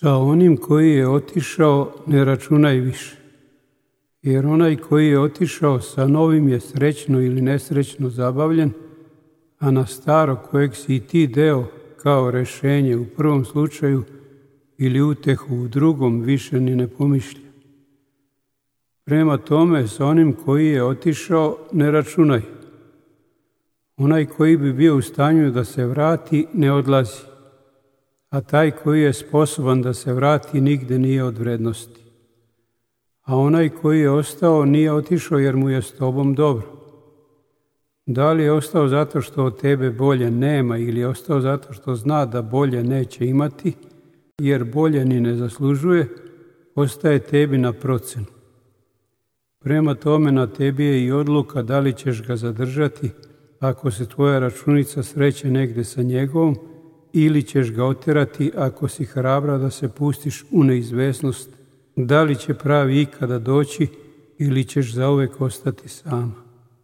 Sa onim koji je otišao ne računaj više, jer onaj koji je otišao sa novim je srećno ili nesrećno zabavljen, a na staro kojeg si i ti deo kao rešenje u prvom slučaju ili utehu u drugom više ni ne pomišlja. Prema tome, sa onim koji je otišao ne računaj. Onaj koji bi bio u stanju da se vrati ne odlazi, a taj koji je sposoban da se vrati nigde nije od vrednosti. A onaj koji je ostao nije otišao jer mu je s tobom dobro. Da li je ostao zato što od tebe bolje nema ili je ostao zato što zna da bolje neće imati, jer bolje ni ne zaslužuje, ostaje tebi na procenu. Prema tome na tebi je i odluka da li ćeš ga zadržati ako se tvoja računica sreće negde sa njegovom, ili ćeš ga oterati ako si hrabra da se pustiš u neizvesnost, da li će pravi ikada doći ili ćeš zauvek ostati sama.